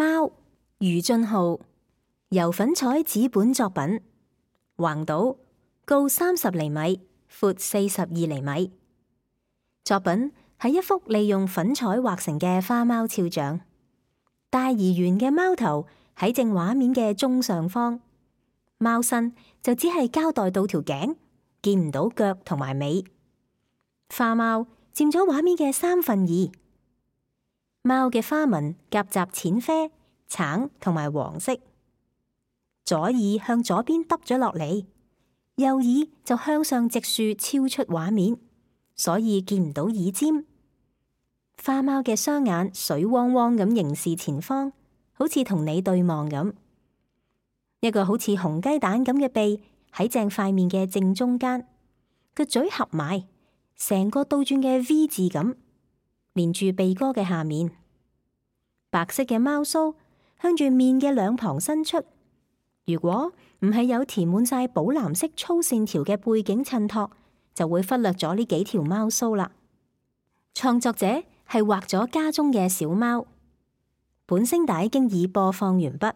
貓，余俊浩，油粉彩紙本作品，橫島，高30厘米，闊42厘米。作品係一幅利用粉彩畫成嘅花貓肖像，大而圓嘅貓頭喺正畫面嘅中上方，貓身就只係交代到條頸，見唔到腳同埋尾。花貓佔咗畫面嘅2/3，貓嘅花紋夾雜淺啡、橙同埋黃色。左耳向左邊耷咗落嚟，右耳就向上直豎超出畫面，所以見唔到耳尖。花貓嘅雙眼水汪汪咁凝視前方，好似同你對望咁。一個好似紅雞蛋咁嘅鼻喺正塊面嘅正中間，個嘴合埋，成個倒轉嘅 V 字咁，連住鼻哥嘅下面。白色嘅貓鬚向住面嘅兩旁伸出，如果唔係有填滿晒寶藍色粗線條嘅背景襯托，就會忽略咗呢幾條貓鬚啦。創作者係畫咗家中嘅小貓。本聲帶經已播放完畢。